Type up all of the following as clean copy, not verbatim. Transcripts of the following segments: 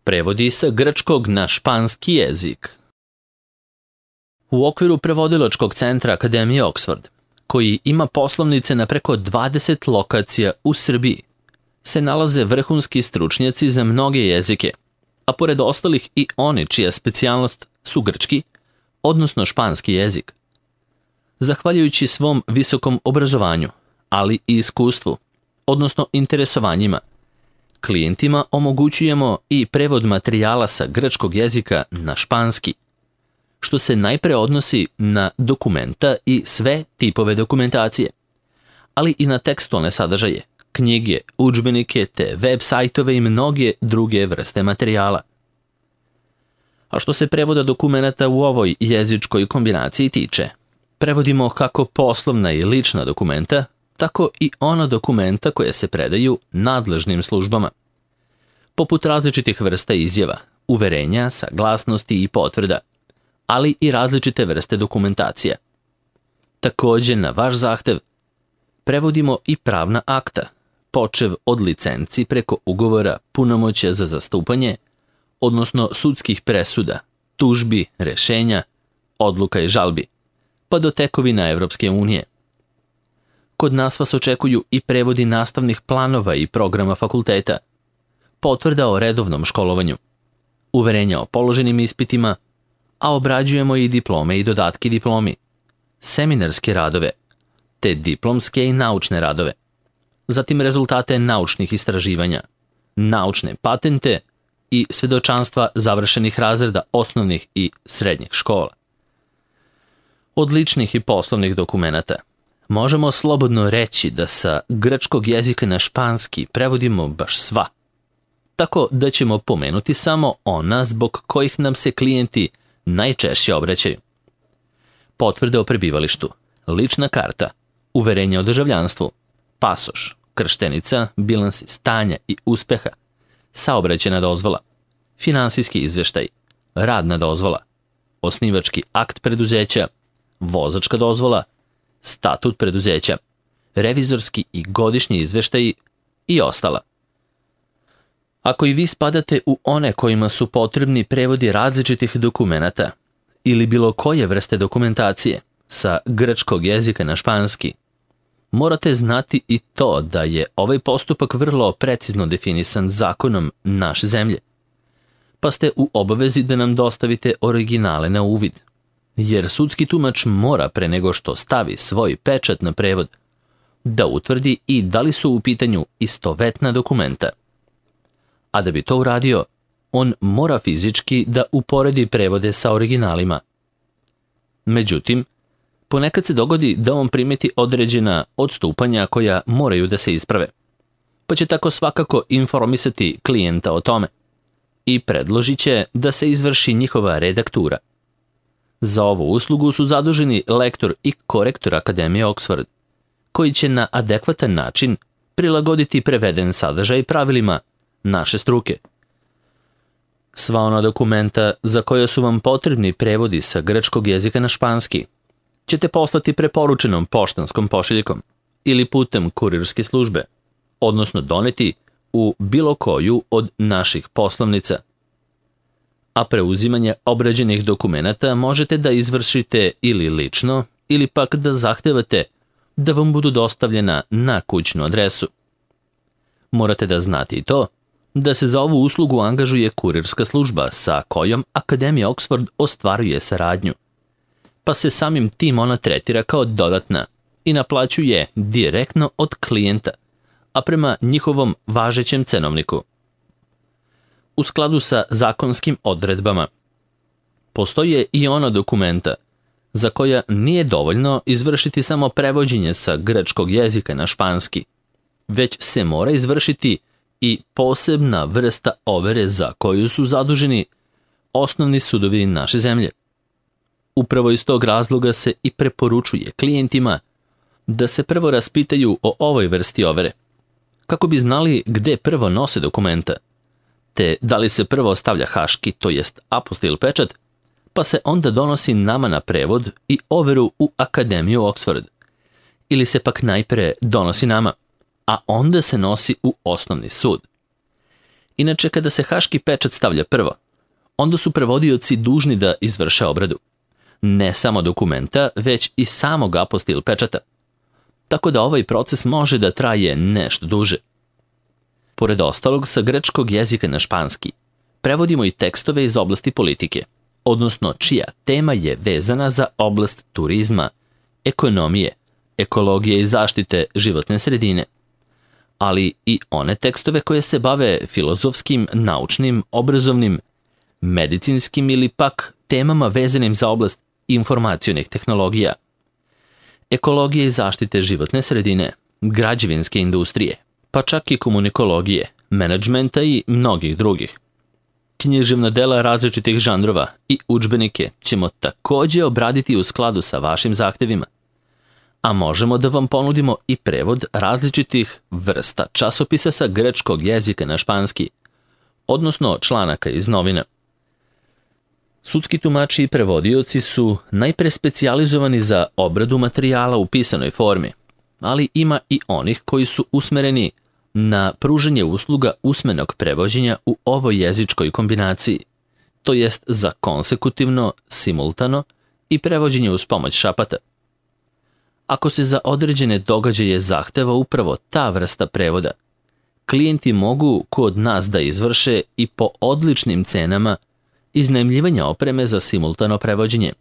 Prevodi sa grčkog na španski jezik. U okviru prevodilačkog centra Akademije Oxford, koji ima poslovnice na preko 20 lokacija u Srbiji, se nalaze vrhunski stručnjaci za mnoge jezike, a pored ostalih i oni čija specijalnost su grčki, odnosno španski jezik. Zahvaljujući svom visokom obrazovanju, ali i iskustvu, odnosno interesovanjima, klijentima omogućujemo i prevod materijala sa grčkog jezika na španski, što se najpre odnosi na dokumenta i sve tipove dokumentacije, ali i na tekstualne sadržaje, knjige, udžbenike te web sajtove i mnoge druge vrste materijala. A što se prevoda dokumenata u ovoj jezičkoj kombinaciji tiče, prevodimo kako poslovna i lična dokumenta, tako i ona dokumenta koje se predaju nadležnim službama, poput različitih vrsta izjava, uverenja, saglasnosti i potvrda, ali i različite vrste dokumentacija. Također, na vaš zahtev, prevodimo i pravna akta, počev od licenci preko ugovora, punomoćja za zastupanje, odnosno sudskih presuda, tužbi, rešenja, odluka i žalbi, pa do tekovina Evropske unije. Kod nas vas očekuju i prevodi nastavnih planova i programa fakulteta, potvrda o redovnom školovanju, uverenja o položenim ispitima, a obrađujemo i diplome i dodatke diplomi, seminarske radove, te diplomske i naučne radove, zatim rezultate naučnih istraživanja, naučne patente i svedočanstva završenih razreda osnovnih i srednjih škola. Od ličnih i poslovnih dokumenata možemo slobodno reći da sa grčkog jezika na španski prevodimo baš sva, tako da ćemo pomenuti samo ona zbog kojih nam se klijenti najčešće obraćaju. Potvrde o prebivalištu, lična karta, uverenje o državljanstvu, pasoš, krštenica, bilansi stanja i uspeha, saobraćajna dozvola, finansijski izveštaj, radna dozvola, osnivački akt preduzeća, vozačka dozvola, statut preduzeća, revizorski i godišnji izveštaji i ostala. Ako i vi spadate u one kojima su potrebni prevodi različitih dokumenata ili bilo koje vrste dokumentacije sa grčkog jezika na španski, morate znati i to da je ovaj postupak vrlo precizno definisan zakonom naše zemlje, pa ste u obavezi da nam dostavite originale na uvid, jer sudski tumač mora pre nego što stavi svoj pečat na prevod da utvrdi i da li su u pitanju istovetna dokumenta. A da bi to uradio, on mora fizički da uporedi prevode sa originalima. Međutim, ponekad se dogodi da on primeti određena odstupanja koja moraju da se isprave, pa će tako svakako informisati klijenta o tome i predložit će da se izvrši njihova redaktura. Za ovu uslugu su zaduženi lektor i korektor Akademije Oxford, koji će na adekvatan način prilagoditi preveden sadržaj pravilima naše struke. Sva ona dokumenta za koja su vam potrebni prevodi sa grčkog jezika na španski ćete poslati preporučenom poštanskom pošiljkom ili putem kurirske službe, odnosno doneti u bilo koju od naših poslovnica. A preuzimanje obrađenih dokumenata možete da izvršite ili lično ili pak da zahtevate da vam budu dostavljena na kućnu adresu. Morate da znate i to da se za ovu uslugu angažuje kurirska služba sa kojom Akademija Oxford ostvaruje saradnju, pa se samim tim ona tretira kao dodatna i naplaćuje direktno od klijenta, a prema njihovom važećem cenovniku. U skladu sa zakonskim odredbama, postoje i ona dokumenta za koja nije dovoljno izvršiti samo prevođenje sa grčkog jezika na španski, već se mora izvršiti i posebna vrsta overe za koju su zaduženi osnovni sudovi naše zemlje. Upravo iz tog razloga se i preporučuje klijentima da se prvo raspitaju o ovoj vrsti overe, kako bi znali gde prvo nose dokumenta, te da li se prvo stavlja haški, to jest apostil pečat, pa se onda donosi nama na prevod i overu u Akademiju Oxford, ili se pak najpre donosi nama, a onda se nosi u osnovni sud. Inače, kada se haški pečat stavlja prvo, onda su prevodioci dužni da izvrše obradu. Ne samo dokumenta, već i samog apostil pečata. Tako da ovaj proces može da traje nešto duže. Pored ostalog, sa grčkog jezika na španski prevodimo i tekstove iz oblasti politike, odnosno čija tema je vezana za oblast turizma, ekonomije, ekologije i zaštite životne sredine, ali i one tekstove koje se bave filozofskim, naučnim, obrazovnim, medicinskim ili pak temama vezanim za oblast informacionih tehnologija, ekologije i zaštite životne sredine, građevinske industrije, pa čak i komunikologije, menadžmenta i mnogih drugih. Književna dela različitih žanrova i udžbenike ćemo takođe obraditi u skladu sa vašim zahtevima, a možemo da vam ponudimo i prevod različitih vrsta časopisa sa grčkog jezika na španski, odnosno članaka iz novina. Sudski tumači i prevodioci su najpre specijalizovani za obradu materijala u pisanoj formi, ali ima i onih koji su usmereni na pružanje usluga usmenog prevođenja u ovoj jezičkoj kombinaciji, to jest za konsekutivno, simultano i prevođenje uz pomoć šapata. Ako se za određene događaje zahteva upravo ta vrsta prevoda, klijenti mogu kod nas da izvrše i po odličnim cenama iznajmljivanja opreme za simultano prevođenje.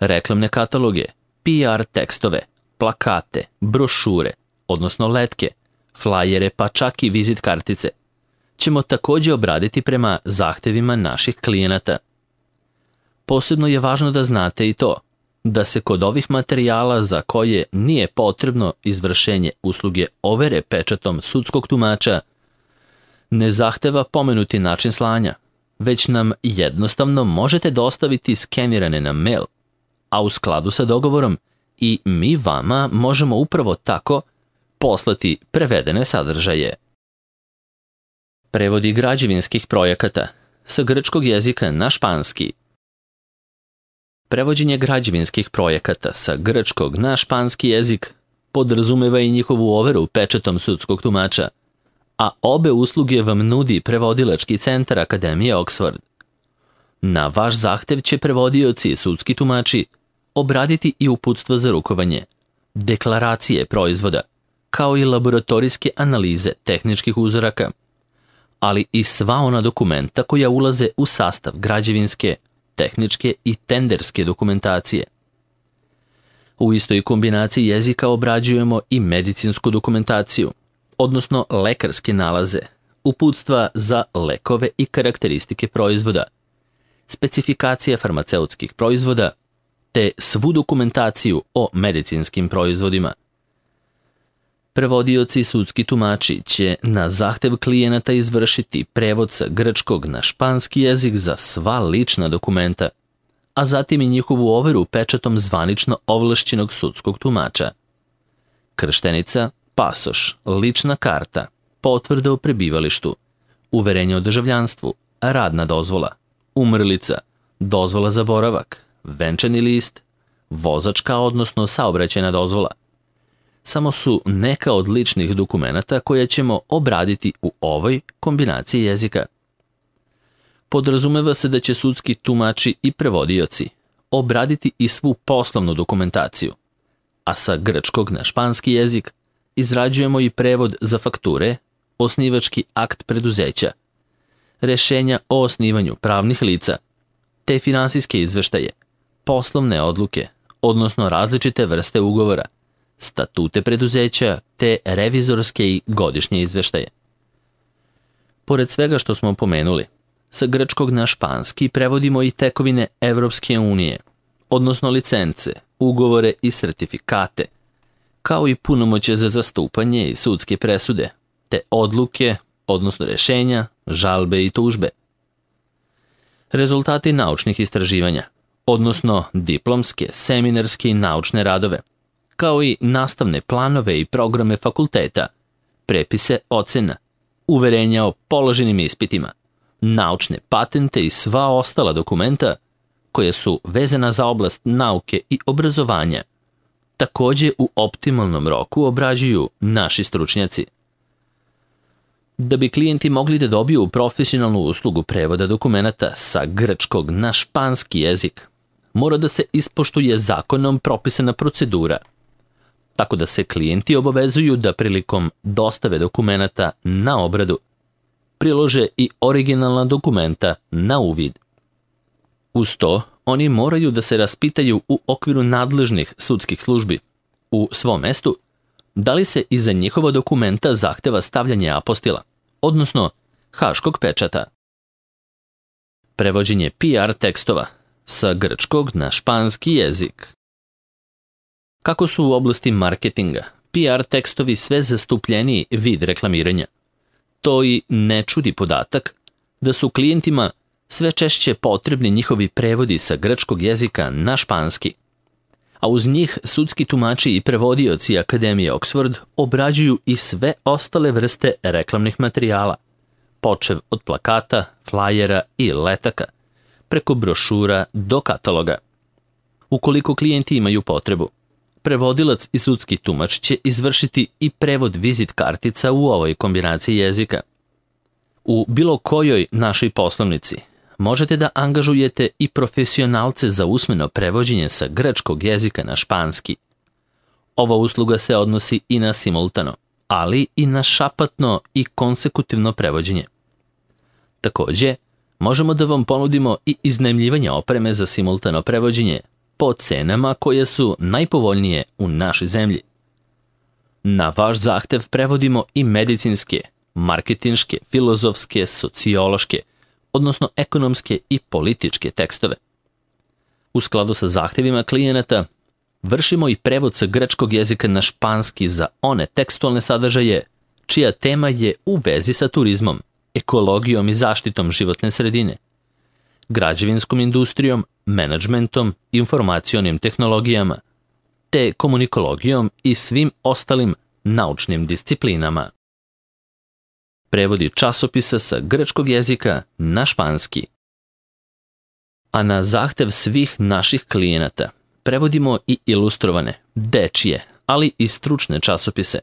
Reklamne kataloge, PR tekstove, plakate, brošure, odnosno letke, flajere pa čak i vizit kartice, ćemo takođe obraditi prema zahtevima naših klijenata. Posebno je važno da znate i to, da se kod ovih materijala za koje nije potrebno izvršenje usluge overe pečatom sudskog tumača, ne zahteva pomenuti način slanja, već nam jednostavno možete dostaviti skenirane na mail, a u skladu sa dogovorom i mi vama možemo upravo tako poslati prevedene sadržaje. Prevodi građevinskih projekata sa grčkog jezika na španski. Prevođenje građevinskih projekata sa grčkog na španski jezik podrazumeva i njihovu overu pečatom sudskog tumača, a obe usluge vam nudi prevodilački centar Akademije Oxford. Na vaš zahtev će prevodioci i sudski tumači obraditi i uputstva za rukovanje, deklaracije proizvoda, kao i laboratorijske analize tehničkih uzoraka, ali i sva ona dokumenta koja ulaze u sastav građevinske, tehničke i tenderske dokumentacije. U istoj kombinaciji jezika obrađujemo i medicinsku dokumentaciju, odnosno lekarske nalaze, uputstva za lekove i karakteristike proizvoda, specifikacije farmaceutskih proizvoda, te svu dokumentaciju o medicinskim proizvodima. Prevodioci i sudski tumači će na zahtev klijenata izvršiti prevod sa grčkog na španski jezik za sva lična dokumenta, a zatim i njihovu overu pečatom zvanično ovlašćenog sudskog tumača. Krštenica, pasoš, lična karta, potvrda o prebivalištu, uverenje o državljanstvu, radna dozvola, umrlica, dozvola za boravak, venčani list, vozačka odnosno saobraćajna dozvola. Samo su neka od ličnih dokumenata koje ćemo obraditi u ovoj kombinaciji jezika. Podrazumeva se da će sudski tumači i prevodioci obraditi i svu poslovnu dokumentaciju, a sa grčkog na španski jezik izrađujemo i prevod za fakture, osnivački akt preduzeća, rešenja o osnivanju pravnih lica, te finansijske izveštaje, poslovne odluke, odnosno različite vrste ugovora, statute preduzeća te revizorske i godišnje izveštaje. Pored svega što smo pomenuli, sa grčkog na španski prevodimo i tekovine Evropske unije, odnosno licence, ugovore i sertifikate, kao i punomoćje za zastupanje i sudske presude, te odluke, odnosno rešenja, žalbe i tužbe. Rezultati naučnih istraživanja, odnosno diplomske, seminarske i naučne radove, kao i nastavne planove i programe fakulteta, prepise ocena, uverenja o položenim ispitima, naučne patente i sva ostala dokumenta koja su vezana za oblast nauke i obrazovanja, takođe u optimalnom roku obrađuju naši stručnjaci. Da bi klijenti mogli da dobiju profesionalnu uslugu prevoda dokumenata sa grčkog na španski jezik, mora da se ispoštuje zakonom propisana procedura, tako da se klijenti obavezuju da prilikom dostave dokumenata na obradu prilože i originalna dokumenta na uvid. Uz to, oni moraju da se raspitaju u okviru nadležnih sudskih službi u svom mestu da li se iza njihova dokumenta zahteva stavljanje apostila, odnosno haškog pečata. Prevođenje PR tekstova sa grčkog na španski jezik. Kako su u oblasti marketinga PR tekstovi sve zastupljeniji vid reklamiranja, to i ne čudi podatak da su klijentima sve češće potrebni njihovi prevodi sa grčkog jezika na španski, a uz njih sudski tumači i prevodioci Akademije Oxford obrađuju i sve ostale vrste reklamnih materijala, počev od plakata, flajera i letaka, preko brošura do kataloga. Ukoliko klijenti imaju potrebu, prevodilac i sudski tumač će izvršiti i prevod vizit kartica u ovoj kombinaciji jezika. U bilo kojoj našoj poslovnici možete da angažujete i profesionalce za usmeno prevođenje sa grčkog jezika na španski. Ova usluga se odnosi i na simultano, ali i na šapatno i konsekutivno prevođenje. Takođe, možemo da vam ponudimo i iznajmljivanje opreme za simultano prevođenje po cenama koje su najpovoljnije u našoj zemlji. Na vaš zahtev prevodimo i medicinske, marketinške, filozofske, sociološke, odnosno ekonomske i političke tekstove. U skladu sa zahtevima klijenata, vršimo i prevod sa grčkog jezika na španski za one tekstualne sadržaje čija tema je u vezi sa turizmom, ekologijom i zaštitom životne sredine, građevinskom industrijom, menadžmentom, informacionim tehnologijama, te komunikologijom i svim ostalim naučnim disciplinama. Prevodi časopisa sa grčkog jezika na španski. A na zahtev svih naših klijenata prevodimo i ilustrovane, dečije, ali i stručne časopise.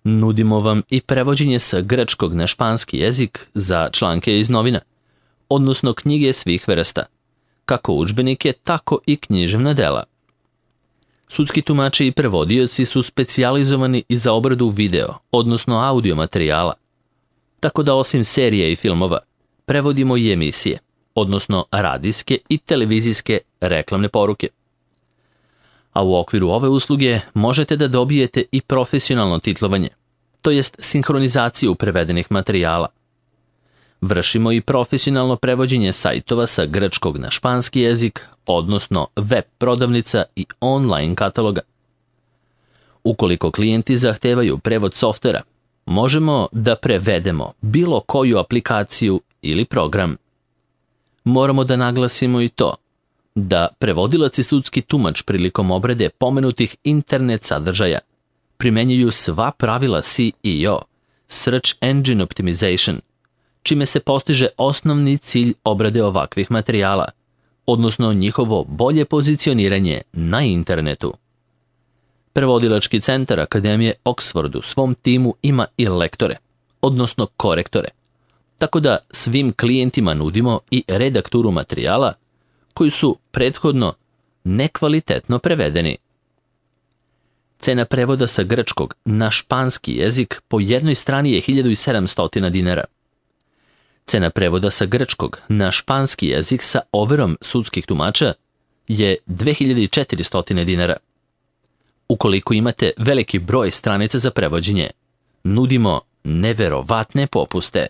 Nudimo vam i prevođenje sa grčkog na španski jezik za članke iz novina, odnosno knjige svih vrsta, kako udžbenike, tako i književna dela. Sudski tumači i prevodioci su specijalizovani i za obradu video, odnosno audio materijala, tako da osim serije i filmova, prevodimo i emisije, odnosno radijske i televizijske reklamne poruke. A u okviru ove usluge možete da dobijete i profesionalno titlovanje, to jest sinhronizaciju prevedenih materijala. Vršimo i profesionalno prevođenje sajtova sa grčkog na španski jezik, odnosno web prodavnica i online kataloga. Ukoliko klijenti zahtevaju prevod softvera, možemo da prevedemo bilo koju aplikaciju ili program. Moramo da naglasimo i to da prevodilac i sudski tumač prilikom obrade pomenutih internet sadržaja primenjuju sva pravila SEO, Search Engine Optimization, čime se postiže osnovni cilj obrade ovakvih materijala, odnosno njihovo bolje pozicioniranje na internetu. Prevodilački centar Akademije Oxford u svom timu ima i lektore, odnosno korektore, tako da svim klijentima nudimo i redakturu materijala koji su prethodno nekvalitetno prevedeni. Cena prevoda sa grčkog na španski jezik po jednoj strani je 1700 dinara. Cena prevoda sa grčkog na španski jezik sa overom sudskih tumača je 2400 dinara. Ukoliko imate veliki broj stranica za prevođenje, nudimo neverovatne popuste.